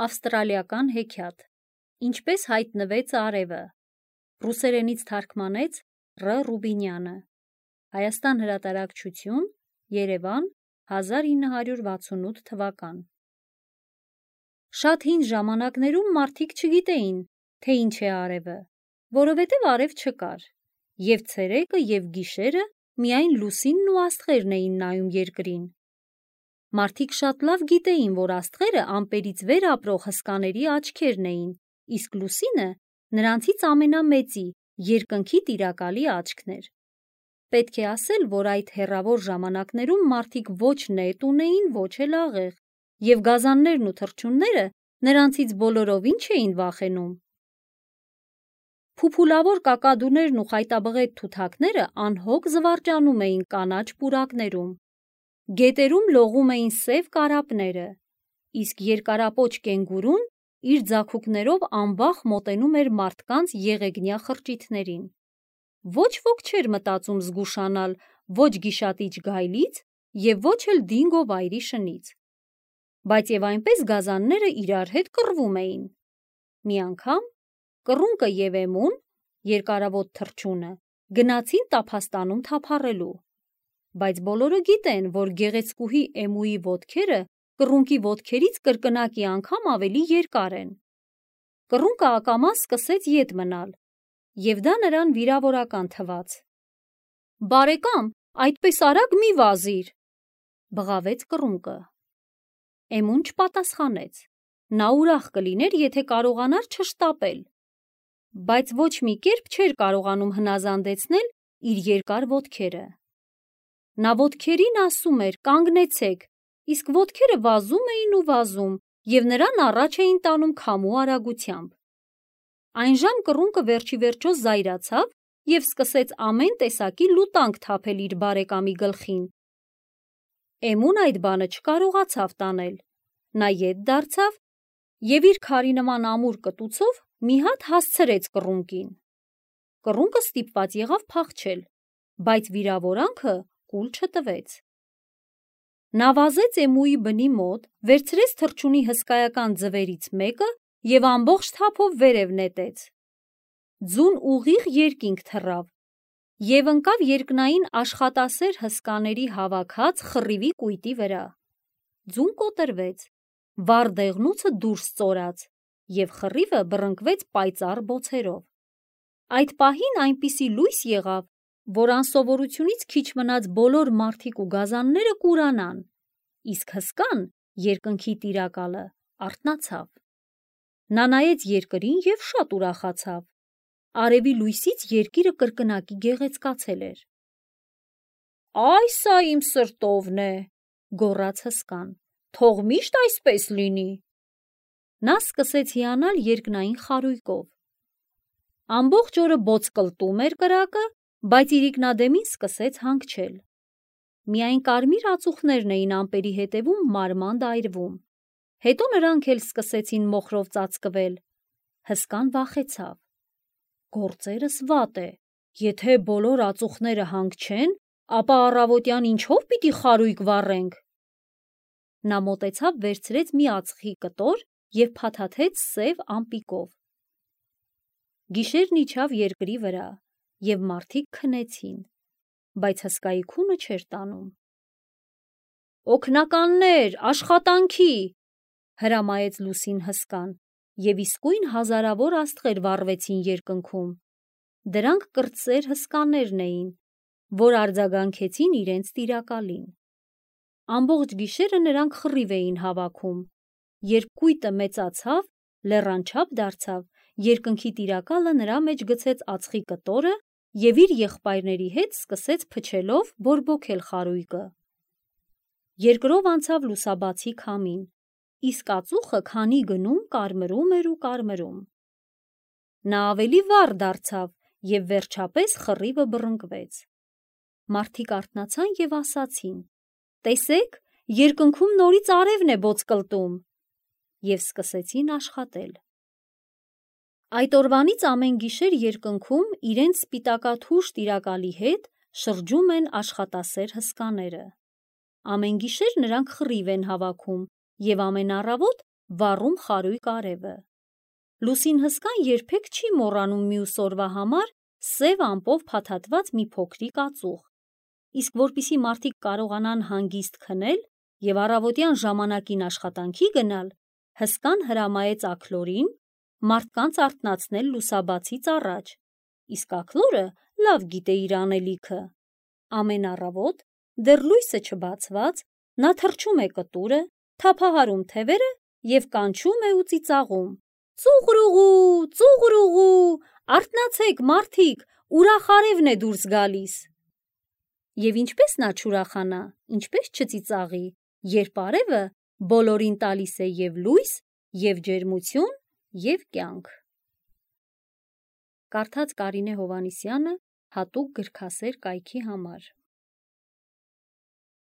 Ավստրալիական հեքիաթ։ Ինչպես հայտնվեց արևը։ Ռուսերենից թարգմանեց Ռ. Ռուբինյանը։ Հայաստան հրատարակչություն, Երևան, 1968 թվական։ Շատ հին ժամանակներում մարդիկ չգիտեին, թե ինչ է արևը, որովհետև արև չկար, և ցերեկը և գիշերը միայն լուսինն ու աստղերն էին նայում երկրին։ Մարդիկ շատ լավ գիտեին, որ աստղերը ամպերից վեր ապրող հսկաների աչքերն էին, իսկ լուսինը նրանցից ամենամեծի, երկնքի տիրակալի աչքն էր։ Պետք է ասել, որ այդ հեռավոր ժամանակներում մարդիկ ոչ նետ ունեին, ոչ էլ աղեղ, և գազաններն ու թռչունները նրանցից բոլորովին չէին վախենում։ Փուփուլավոր կակադուներն ու խայտաբղետ թութակները անհոգ զվարճանում էին կանաչ պուրակներում։ Գետերում լողում էին սև կարապները, իսկ երկարապոչ կենգուրուն իր ձագուկներով անվախ մոտենում էր մարդկանց եղեգնյա խրճիթներին։ Ոչ ոք չէր մտածում զգուշանալ ոչ գիշատիչ գայլից և ոչ էլ դինգո վայրի շնից։ Բայց և այնպես գազանները իրար հետ կռվում էին։ Մի անգամ կռունկը և էմուն, երկարավոտ թռչունը, գնացին տափաստանում թափառելու։ Բայց բոլորը գիտեն, որ գեղեցկուհի էմուի ոտքերը կռունկի ոտքերից կրկնակի անգամ ավելի երկար են։ Կռունկը ակամա սկսեց ետ մնալ, և դա նրան վիրավորական թվաց։ «Բարեկամ, այդպես արագ մի վազիր», բղավեց կռունկը։ Էմուն չպատասխանեց։ Նա ուրախ կլիներ, եթե կարողանար չշտապել, բայց ոչ մի կերպ չէր կարողանում հնազանդեցնել իր երկար ոտքերը։ Նա ոտքերին ասում էր. «Կանգնեցեք», իսկ ոտքերը վազում էին ու վազում, և նրան առաջ էին տանում քամու արագությամբ։ Այնժամ կռունկը վերջիվերջո զայրացավ և սկսեց ամեն տեսակի լուտանք թափել իր բարեկամի գլխին։ Էմուն այդ բանը չկարողացավ տանել։ Նա ետ դարձավ և իր քարի նման ամուր կտուցով մի հատ հասցրեց կռունկին։ Կռունկը ստիպված եղավ փախչել, բայց վիրավորանքը կուլ չտվեց։ Նա վազեց էմուի բնի մոտ, վերցրեց թռչունի հսկայական ձվերից մեկը և ամբողջ թափով վերև նետեց։ Ձուն ուղիղ երկինք թռավ և ընկավ երկնային աշխատասեր հսկաների հավաքած խռիվի կույտի վրա։ Ձուն կոտրվեց, վառ դեղնուցը դուրս ծորաց, և խռիվը բռնկվեց պայծառ բոցերով։ Այդ պահին այնպիսի լույս եղավ, որ անսովորությունից քիչ մնաց բոլոր մարդիկ ու գազանները կուրանան, իսկ հսկան, երկնքի տիրակալը, արթնացավ։ Նա նայեց երկրին և շատ ուրախացավ։ Արևի լույսից երկիրը կրկնակի գեղեցկացել էր։ «Այ սա իմ սրտովն է», գոռաց հսկան, «թող միշտ այսպես լինի»։ Նա սկսեց հիանալ երկնային խարույկով։ Ամբողջ օրը բոծկլտում էր կրակը, բայց իրիկնադեմին սկսեց հանգչել։ Միայն կարմիր ածուխներն էին ամպերի հետևում մարմանդ այրվում։ Հետո նրանք էլ սկսեցին մոխրով ծածկվել։ Հսկան վախեցավ։ «Գործերս վատ է, եթե բոլոր ածուխները հանգչեն, ապա առավոտյան ինչով պիտի խարույկ վառենք»։ Նա մոտեցավ, վերցրեց մի ածխի կտոր և փաթաթեց սև ամպիկով։ Գիշերն իջավ երկրի վրա, և մարդիկ քնեցին, բայց հսկայի քունը չէր տանում։ «Օգնականներ, աշխատանքի», հրամայեց լուսին հսկան, և իսկույն հազարավոր աստղեր վառվեցին երկնքում։ Դրանք կրտսեր հսկաներն էին, որ արձագանքեցին իրենց տիրակալին։ Ամբողջ գիշերը նրանք խռիվ էին հավաքում։ Երբ կույտը մեծացավ, լեռան չափ դարձավ, երկնքի տիրակալը նրա մեջ գցեց ածխի կտորը և իր եղբայրների հետ սկսեց փչելով բորբոքել խարույկը։ Երկրով անցավ լուսաբացի քամին, իսկ ածուխը քանի գնում կարմրում էր ու կարմրում։ Նա ավելի վառ դարձավ և վերջապես խռիվը բռնկվեց։ Մարդիկ արթնացան և ասացին. «Տեսեք, երկնքում նորից արևն է բոծկլտում», և սկսեցին աշխատել։ Այդ օրվանից ամեն գիշեր երկնքում իրենց սպիտակաթույր տիրակալի հետ շրջում են աշխատասեր հսկաները։ Ամեն գիշեր նրանք խռիվ են հավաքում և ամեն առավոտ վառում խարույկ արևը։ Լուսին հսկան երբեք չի մոռանում մյուս օրվա համար սև ամպով փաթաթված մի փոքրիկ ածուխ։ Իսկ որպիսի մարդիկ կարողանան հանգիստ քնել և առավոտյան ժամանակին աշխատանքի գնալ, հսկան հրամայեց աքլորին մարդկանց արթնացնել լուսաբացից առաջ, իսկ աքլորը լավ գիտե իր անելիքը։ Ամեն առավոտ, դեռ լույսը չբացված, նա թռչում է կտուրը, թափահարում թևերը և կանչում է ու ծիծաղում. «Ծուղրուղու, ծուղրուղու, արթնացեք մարդիկ, ուրախ արևն է դուրս գալիս»։ Եվ ինչպես նա չուրախանա, ինչպես չծիծաղի, երբ արևը բոլորին տալիս է և լույս, և ջերմություն, և կյանք։ Կարդաց Կարինե Հովհաննիսյանը հատուկ գրքասեր կայքի համար։